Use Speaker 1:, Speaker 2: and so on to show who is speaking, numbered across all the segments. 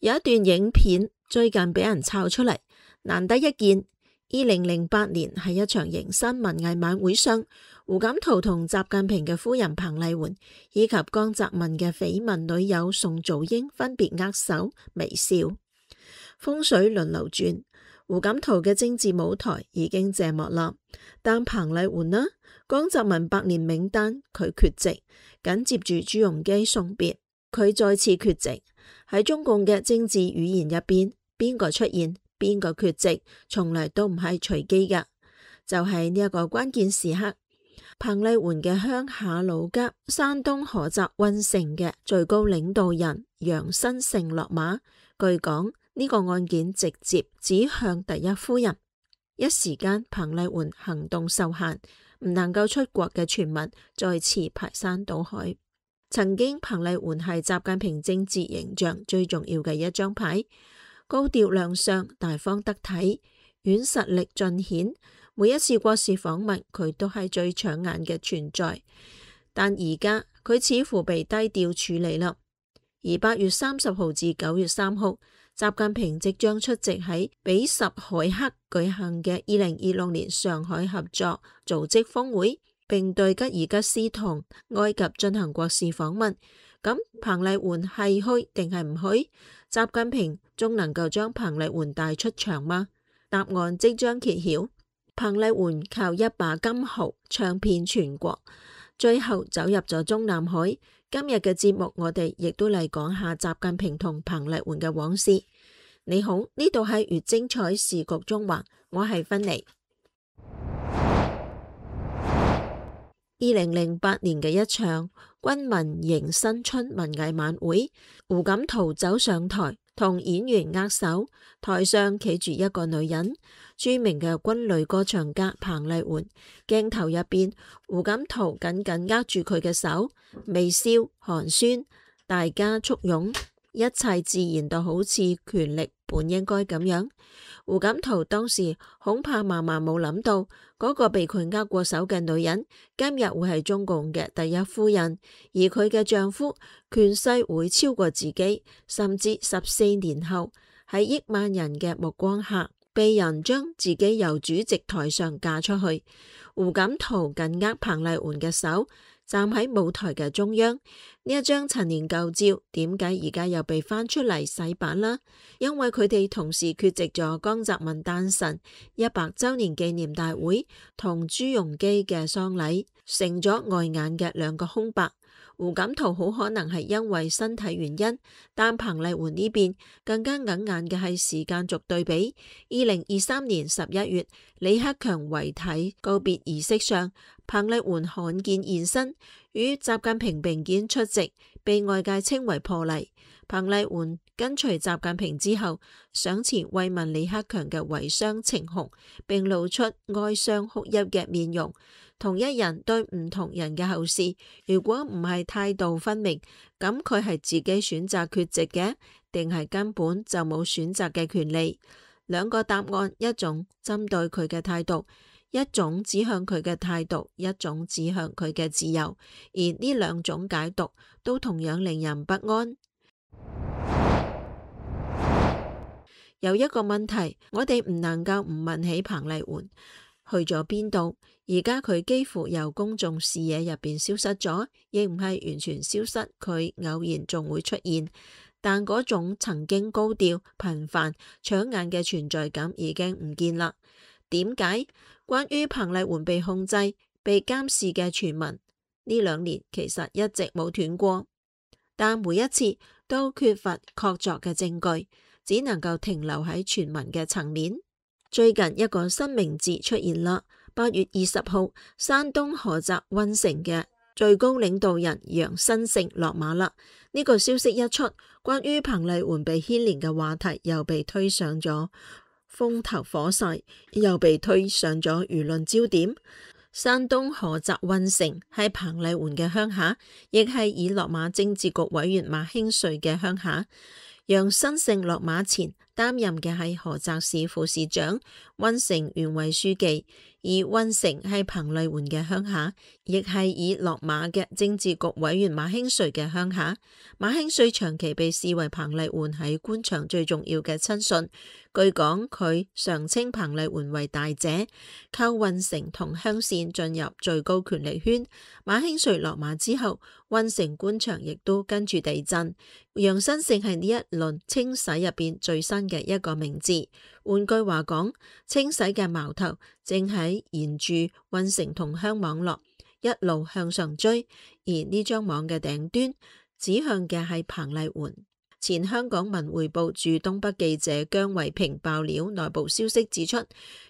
Speaker 1: 有一段影片最近俾人抄出嚟，難得一見。2008年係一場迎新文藝晚會上，胡錦濤同習近平嘅夫人彭麗媛以及江澤民嘅緋聞女友宋祖英分別握手微笑。風水輪流轉，胡錦濤嘅政治舞台已經謝幕啦，但彭麗媛呢？江澤民百年名單佢缺席，緊接住朱鎔基送別，佢再次缺席。喺中共嘅政治語言入邊，邊個出現，邊個缺席，從來都唔係隨機㗎。就係呢一個關鍵時刻，彭麗媛嘅鄉下老家山東菏澤運城嘅最高領導人楊新勝落馬，據講呢個案件直接指向第一夫人。一時間彭麗媛行動受限，唔能夠出國嘅傳聞再次排山倒海。曾經彭麗媛係習近平政治形象最重要嘅一張牌，高調亮相，大方得體，軟實力盡顯。每一次國事訪問，佢都係最搶眼嘅存在。但而家佢似乎被低調處理啦。而8月30號至9月3號，習近平即將出席喺比什凱克舉行嘅2026年上海合作組織峰會，並對吉爾吉斯同埃及進行國事訪問。咁彭麗媛係去定係唔去？習近平仲能夠將彭麗媛帶出場嗎？答案即將揭曉。彭麗媛靠一把金號唱遍全國，最後走入咗中南海。今日嘅節目，我哋亦都嚟講下習近平同彭麗媛嘅往事。你好，呢度係越精彩時局中華，我係芬妮。2008年嘅一場軍民迎新春文藝晚會，胡錦濤走上台同演員握手，台上企住一個女人，著名嘅軍旅歌唱家彭麗媛。鏡頭入邊，胡錦濤緊緊握住佢嘅手，微笑寒暄，大家簇擁，一切自然到好似權力本應該咁樣。胡錦濤當時恐怕萬萬冇諗到，嗰個被佢握過手嘅女人，今日會係中共嘅第一夫人，而佢嘅丈夫權勢會超過自己，甚至14年後喺億萬人嘅目光下，被人將自己由主席台上嫁出去。胡錦濤緊握彭麗媛嘅手，站喺舞台嘅中央。呢一張陳年舊照，點解而家又被翻出嚟洗版啦？因為佢哋同時缺席咗江澤民誕辰100週年紀念大會同朱鎔基嘅喪禮，成咗礙眼嘅兩個空白。胡錦濤好可能係因為身體原因，但彭麗媛呢邊更加硬眼嘅係時間軸對比。2023年11月，李克強遺體告別儀式上，彭麗媛罕見現身，與習近平並肩出席，被外界稱為破例。彭麗媛跟隨習近平之後，上前慰問李克強嘅遺孀程紅，並露出哀傷哭泣嘅面容。同一人對唔同人嘅後事，如果唔係態度分明，咁佢係自己選擇缺席嘅，定係根本就冇選擇嘅權利？兩個答案，一種針對佢嘅態度，一種指向佢嘅態度，一種指向佢嘅自由，而呢兩種解讀都同樣令人不安。有一個問題，我哋唔能夠唔問起彭麗媛去咗邊度？而家佢幾乎由公眾視野入邊消失咗，亦唔係完全消失，佢偶然仲會出現，但嗰種曾經高調、頻繁、搶眼嘅存在感已經唔見啦。點解？關於彭麗媛被控制、被監視嘅傳聞，呢2年其實一直冇斷過，但每一次都缺乏確鑿嘅證據，只能夠停留喺傳聞嘅層面。最近一個新名字出現啦，8月20號，山東菏澤運城嘅最高領導人楊新勝落馬啦。呢個消息一出，關於彭麗媛被牽連嘅話題又被推上咗風頭火勢，又被推上咗輿論焦點。山東菏澤運城係彭麗媛嘅鄉下，亦係已落馬政治局委員馬興瑞嘅鄉下。楊新勝落馬前擔任嘅係菏澤市副市長、溫城縣委書記。而溫城係彭麗媛嘅鄉下，亦係已落馬嘅政治局委員馬興瑞嘅鄉下。馬興瑞長期被視為彭麗媛喺官場最重要嘅親信。據講，佢常稱彭麗媛為大姐。靠溫城同鄉線進入最高權力圈。馬興瑞落馬之後，溫城官場亦都跟住地震。楊新勝係呢一輪清洗入邊最新嘅一個名字。換句話講，清洗嘅矛頭正喺沿住溫城同鄉網絡一路向上追，而呢張網嘅頂端指向嘅係彭麗媛。前香港文匯報駐東北記者姜維平爆料內部消息指出，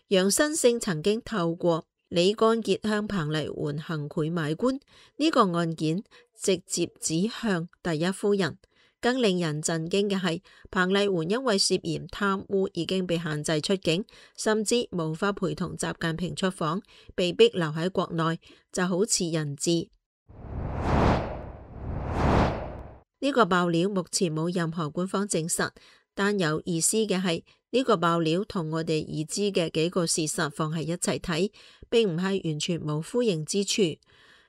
Speaker 1: 楊新勝曾經透過李干傑向彭麗媛行賄買官，呢個案件直接指向第一夫人。更令人震驚嘅係，彭麗媛因為涉嫌貪污已經被限制出境，甚至無法陪同習近平出訪，被逼留喺國內，就好似人質。呢個爆料目前冇任何官方證實，但有意思嘅係呢個爆料同我哋已知嘅幾個事實放喺一齊睇，並唔係完全冇呼應之處。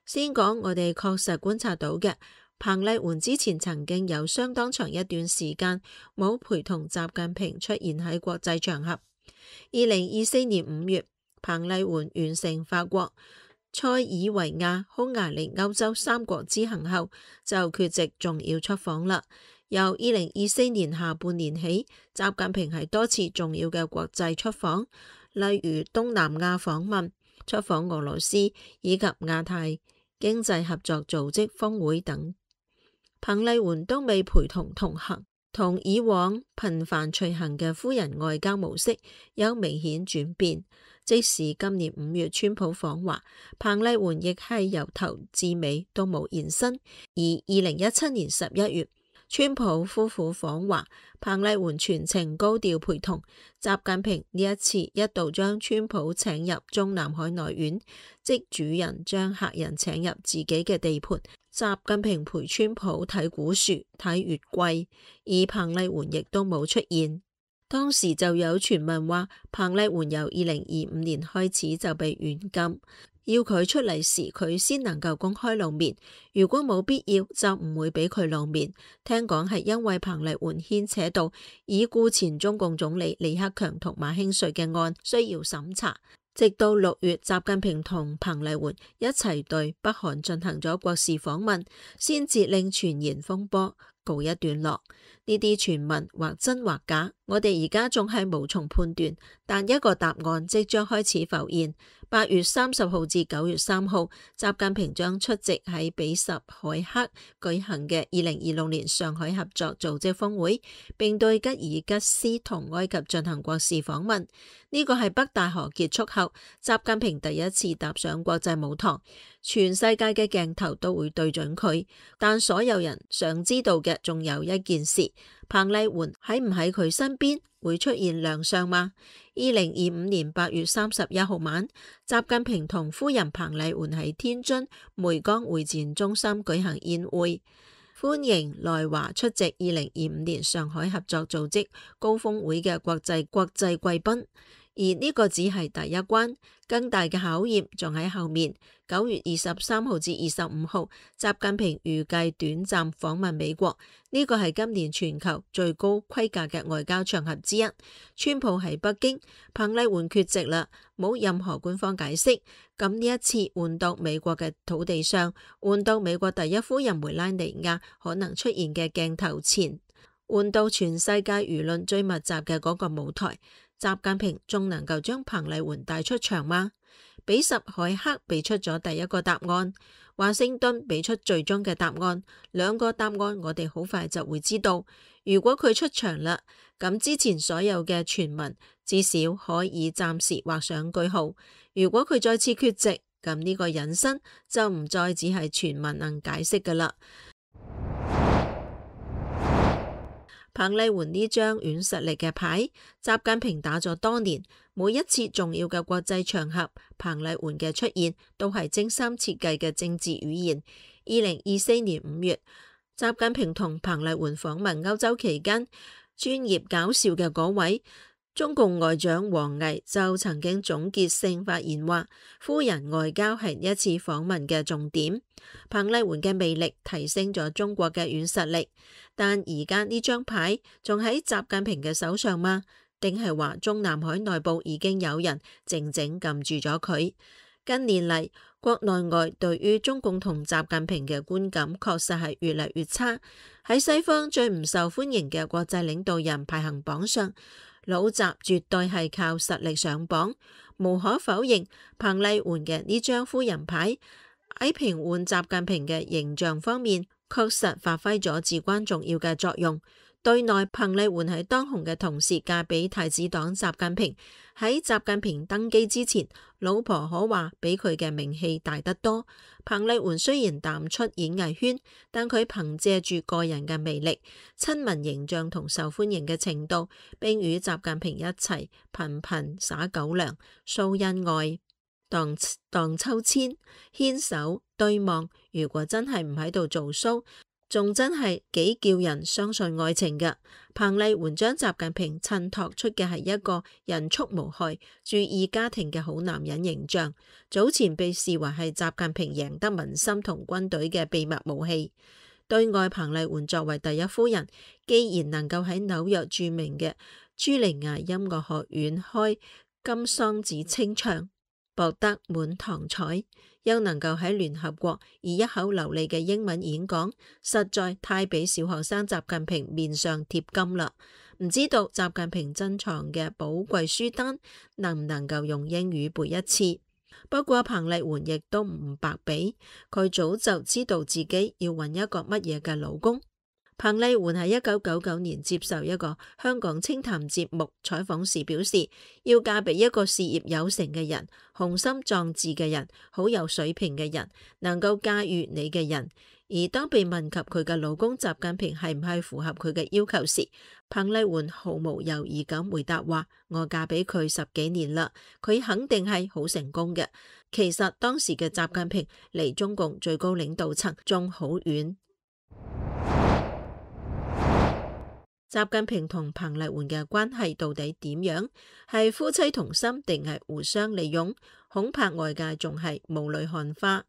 Speaker 1: 先講我哋確實觀察到嘅。彭麗媛之前曾經有相當長一段時間冇陪同習近平出現喺國際場合。2024年5月，彭麗媛完成法國、塞爾維亞、匈牙利、歐洲3國之行後，就缺席重要出訪啦。由2024年下半年起，習近平係多次重要嘅國際出訪，例如東南亞訪問、出訪俄羅斯以及亞太經濟合作組織峰會等。彭麗媛都未陪同同行，同以往頻繁隨行嘅夫人外交模式有明顯轉變。即使今年5月川普訪華，彭麗媛亦係由頭至尾都冇現身。而2017年11月，川普夫婦訪華，彭麗媛全程高調陪同。習近平呢一次一度將川普請入中南海內院，即主人將客人請入自己嘅地盤。習近平陪川普睇古樹、睇月桂，而彭麗媛亦都冇出現。當時就有傳聞話，彭麗媛由2025年開始就被軟禁，要佢出嚟時佢先能夠公開露面，如果冇必要就唔會俾佢露面。聽講係因為彭麗媛牽扯到已故前中共總理李克強同馬興瑞嘅案需要審查。直到6月，習近平同彭麗媛一齊對北韓進行咗國事訪問，先至令傳言風波告一段落。呢啲傳聞或真或假，我哋而家仲係無從判斷，但一個答案即將開始浮現。8月30號至9月3號，習近平將出席喺比什凱克舉行嘅2026年上海合作組織峰會，並對吉爾吉斯同埃及進行國事訪問。呢個係北戴河結束後，習近平第一次踏上國際舞台，全世界嘅鏡頭都會對準佢。但所有人想知道嘅仲有一件事，彭麗媛喺唔喺佢身邊，會出現亮相嗎？2025年8月31號晚，習近平同夫人彭麗媛喺天津湄江會展中心舉行宴會，歡迎來華出席2025年上海合作組織高峰會嘅國際貴賓。而呢個只係第一關，更大嘅考驗仲喺後面。9月23號至25號，習近平預計短暫訪問美國，呢個係今年全球最高規格嘅外交場合之一。川普喺北京，彭麗媛缺席啦，冇任何官方解釋。咁呢一次換到美國嘅土地上，換到美國第一夫人梅拉尼亞可能出現嘅鏡頭前，換到全世界輿論最密集嘅嗰個舞台，習近平仲能夠將彭麗媛帶出場嗎？比什凱克俾出咗第一個答案，華盛頓俾出最終嘅答案，兩個答案我哋好快就會知道。如果佢出場啦，咁之前所有嘅傳聞至少可以暫時畫上句號。如果佢再次缺席，咁呢個隱身就唔再只係傳聞能解釋噶啦。彭麗媛呢張軟實力嘅牌，習近平打咗多年，每一次重要嘅國際場合，彭麗媛嘅出現都係精心設計嘅政治語言。2024年5月，習近平同彭麗媛訪問歐洲期間，專業搞笑嘅嗰位。中共外長王毅就曾經總結性發言話，夫人外交係一次訪問嘅重點。彭麗媛嘅魅力提升咗中國嘅軟實力，但而家呢張牌仲喺習近平嘅手上嗎？定係話中南海內部已經有人靜靜撳住咗佢？近年嚟，國內外對於中共同習近平嘅觀感確實係越嚟越差。喺西方最唔受歡迎嘅國際領導人排行榜上，老習絕對係靠實力上榜。無可否認，彭麗媛嘅呢張夫人牌喺平緩習近平嘅形象方面，確實發揮咗至關重要嘅作用。對內，彭麗媛喺當紅嘅同時嫁俾太子黨習近平。喺習近平登基之前，老婆可話比佢嘅名氣大得多。彭麗媛雖然淡出演藝圈，但佢憑借住個人嘅魅力、親民形象同受歡迎嘅程度，並與習近平一齊頻頻撒狗糧、掃恩愛、蕩秋千、牽手對望。如果真係唔喺度做 show，仲真係幾叫人相信愛情嘅。彭麗媛將習近平襯托出嘅係一個人畜無害、注意家庭嘅好男人形象。早前被視為係習近平贏得民心同軍隊嘅秘密武器。對外，彭麗媛作為第一夫人，既然能夠喺紐約著名嘅茱莉亞音樂學院開金桑子清唱，博得滿堂彩，又能夠喺聯合國以一口流利嘅英文演講，實在太俾小學生習近平面上貼金啦。唔知道習近平珍藏嘅寶貴書單能唔能夠用英語背一次？不過彭麗媛亦都唔白俾，佢早就知道自己要揾一個乜嘢嘅老公。彭麗媛喺1999年接受一個香港清談節目採訪時表示，要嫁俾一個事業有成嘅人、雄心壯志嘅人、好有水平嘅人、能夠駕馭你嘅人。而當被問及佢嘅老公習近平係唔係符合佢嘅要求時，彭麗媛毫無猶豫咁回答話：我嫁俾佢10幾年啦，佢肯定係好成功嘅。其實當時嘅習近平離中共最高領導層仲好遠。習近平同彭麗媛嘅關係到底點樣？係夫妻同心定係互相利用？恐怕外界仲係霧裏看花。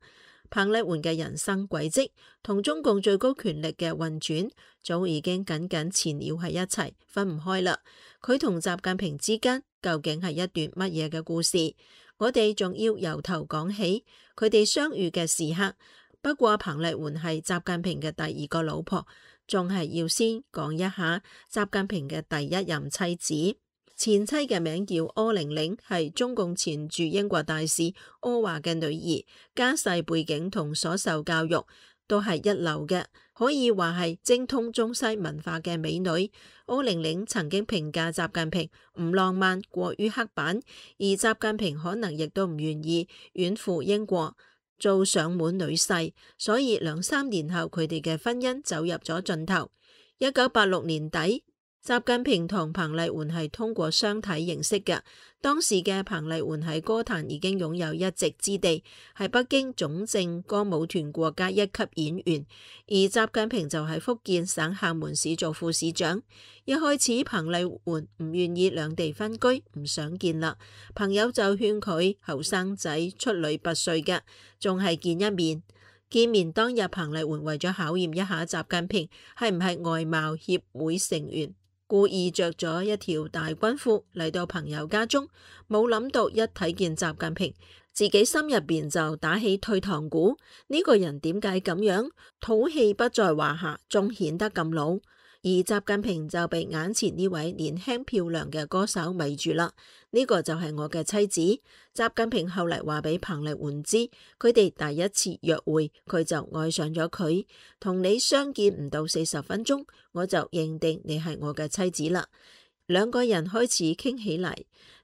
Speaker 1: 彭麗媛嘅人生軌跡同中共最高權力嘅運轉早已經緊緊纏繞喺一齊，分唔開啦。佢同習近平之間究竟係一段乜嘢嘅故事？我哋仲要由頭講起佢哋相遇嘅時刻。不過彭麗媛係習近平嘅第二個老婆，仲係要先講一下習近平嘅第一任妻子。前妻嘅名叫柯玲玲，係中共前駐英國大使柯華嘅女兒，家世背景同所受教育都係一流嘅，可以話係精通中西文化嘅美女。柯玲玲曾經評價習近平唔浪漫，過於刻板，而習近平可能亦都唔願意遠赴英國做上門女婿，所以2-3年後佢哋嘅婚姻走入咗盡頭。1986年底，習近平同彭麗媛係通過相睇認識嘅。當時嘅彭麗媛喺歌壇已經擁有一席之地，係北京總政歌舞團國家一級演員，而習近平就喺福建省廈門市做副市長。一開始彭麗媛唔願意兩地分居，唔想見啦，朋友就勸佢後生仔出類拔萃嘅，仲係見一面。見面當日，彭麗媛為咗考驗一下習近平係唔係外貌協會成員，故意着咗一條大軍褲嚟到朋友家中，冇諗到一睇見習近平，自己心入邊就打起退堂鼓。呢個人點解咁樣？土氣不在話下，仲顯得咁老。而習近平就被眼前呢位年輕漂亮嘅歌手迷住啦。呢個就係我嘅妻子。習近平後嚟話俾彭麗媛知，佢哋第一次約會，佢就愛上咗佢。同你相見唔到40分鐘，我就認定你係我嘅妻子啦。兩個人開始傾起嚟，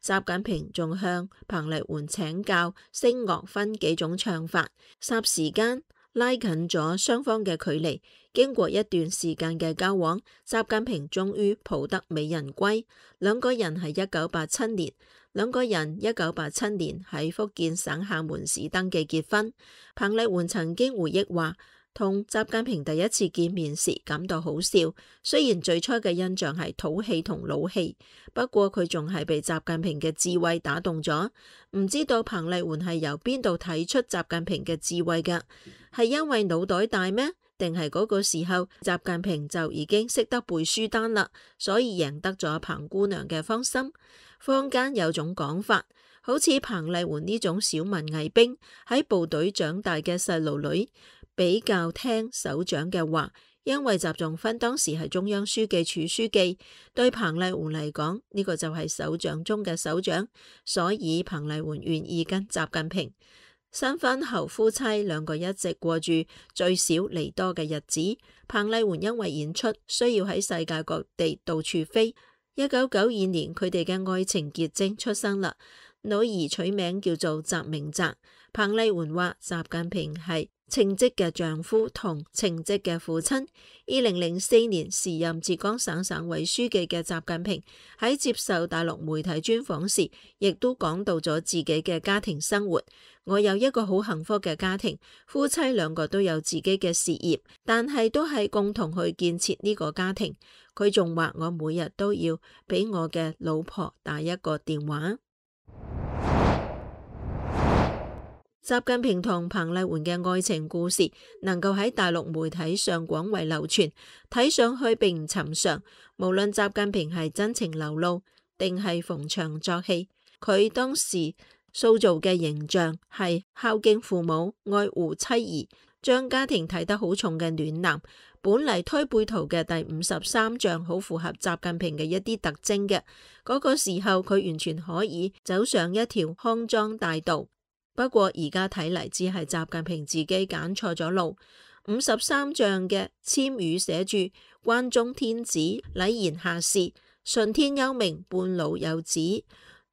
Speaker 1: 習近平仲向彭麗媛請教聲樂分幾種唱法，霎時間拉近咗雙方嘅距離。經過一段時間嘅交往，習近平終於抱得美人歸。兩個人1987年喺福建省廈門市登記結婚。彭麗媛曾經回憶話，同習近平第一次見面時感到好笑，雖然最初嘅印象係土氣同老氣，不過佢仲係被習近平嘅智慧打動咗。唔知道彭麗媛係由邊度睇出習近平嘅智慧㗎？係因為腦袋大咩？定係嗰個時候習近平就已經識得背書單啦，所以贏得咗彭姑娘嘅芳心。坊間有種講法，好似彭麗媛呢種小文藝兵喺部隊長大嘅細路女，比較聽首長嘅話，因為習仲勳當時係中央書記處書記，對彭麗媛嚟講呢個就係首長中嘅首長，所以彭麗媛願意跟習近平。新婚後夫妻兩個一直過住聚少離多嘅日子。彭麗媛因為演出需要喺世界各地到處飛。1992年佢哋嘅愛情結晶出生啦，女兒取名叫做習明澤。彭麗媛話習近平係稱職嘅丈夫同稱職嘅父親。2004年時任浙江省省委書記嘅習近平喺接受大陸媒體專訪時，亦都講到咗自己嘅家庭生活。我有一個好幸福嘅家庭，夫妻兩個都有自己嘅事業，但係都係共同去建設呢個家庭。佢仲話我每日都要俾我嘅老婆打一個電話。習近平同彭麗媛嘅愛情故事能夠喺大陸媒體上廣為流傳，睇上去並唔尋常。無論習近平係真情流露定係逢場作戲，佢當時塑造嘅形象係孝敬父母、愛護妻兒、將家庭睇得好重嘅暖男。本嚟推背圖嘅第53象好符合習近平嘅一啲特徵嘅，嗰個時候佢完全可以走上一條康莊大道。不過而家睇嚟只係習近平自己揀錯咗路。53象嘅籤語寫住關中天子，禮賢下士，順天休命，半老有子。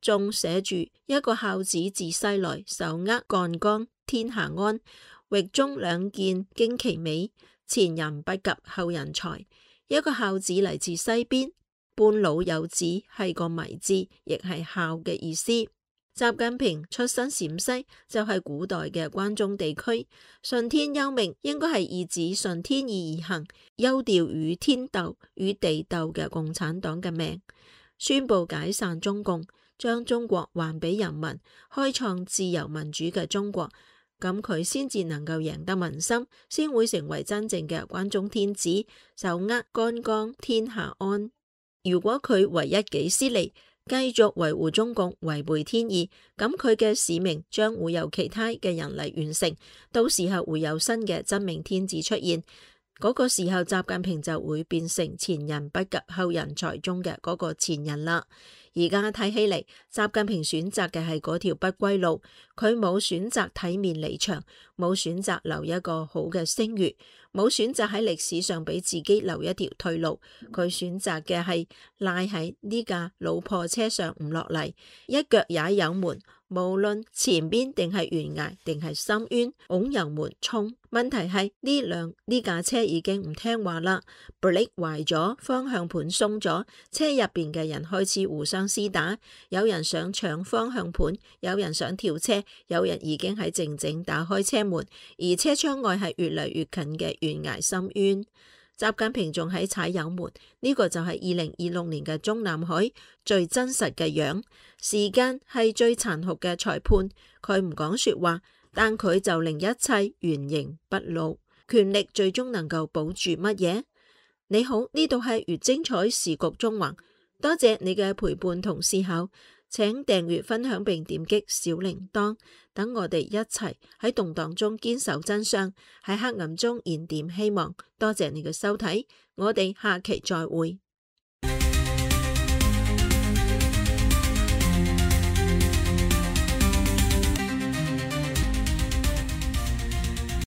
Speaker 1: 仲寫住一個孝子自西來，手握幹桿天下安。域中兩件驚奇美，前人不及後人才。一個孝子嚟自西邊，半老有子係個謎字，亦係孝嘅意思。習近平出身陝西，就係古代嘅關中地區。順天休命應該係意指順天意而行，休掉與天鬥、與地鬥嘅共產黨嘅命，宣布解散中共，將中國還俾人民，開創自由民主嘅中國。咁佢先至能夠贏得民心，先會成為真正嘅關中天子，手握幹桿天下安。如果佢唯一己私利，繼續維護中共，違背天意，咁佢嘅使命將會由其他嘅人嚟完成，到時候會有新嘅真命天子出現。嗰個時候習近平就會變成前人不及後人才中嘅嗰個前人啦。而家睇起嚟，習近平選擇嘅係嗰條不歸路，佢冇選擇體面離場，冇選擇留一個好嘅聲譽，冇選擇喺歷史上俾自己留一條退路，佢選擇嘅係賴喺呢架老破車上唔落嚟，一腳踩油門。無論前邊定係懸崖定係深淵，拱油門衝。問題係呢架車已經唔聽話啦，brake壞咗，方向盤鬆咗，車入邊嘅人開始互相廝打，有人想搶方向盤，有人想跳車，有人已經喺靜靜打開車門，而車窗外係越嚟越近嘅懸崖深淵。習近平仲喺踩油門，呢個就係2026年嘅中南海最真實嘅樣。時間係最殘酷嘅裁判，佢唔講說話，但佢就令一切原形畢露。權力最終能夠保住乜嘢？你好，呢度係越精彩時局中橫，多謝你嘅陪伴同思考，請訂閱分享並點擊小鈴鐺，等我哋一齊喺動盪中堅守真相，喺黑暗中燃點希望。多謝你嘅收睇，我哋下期再會。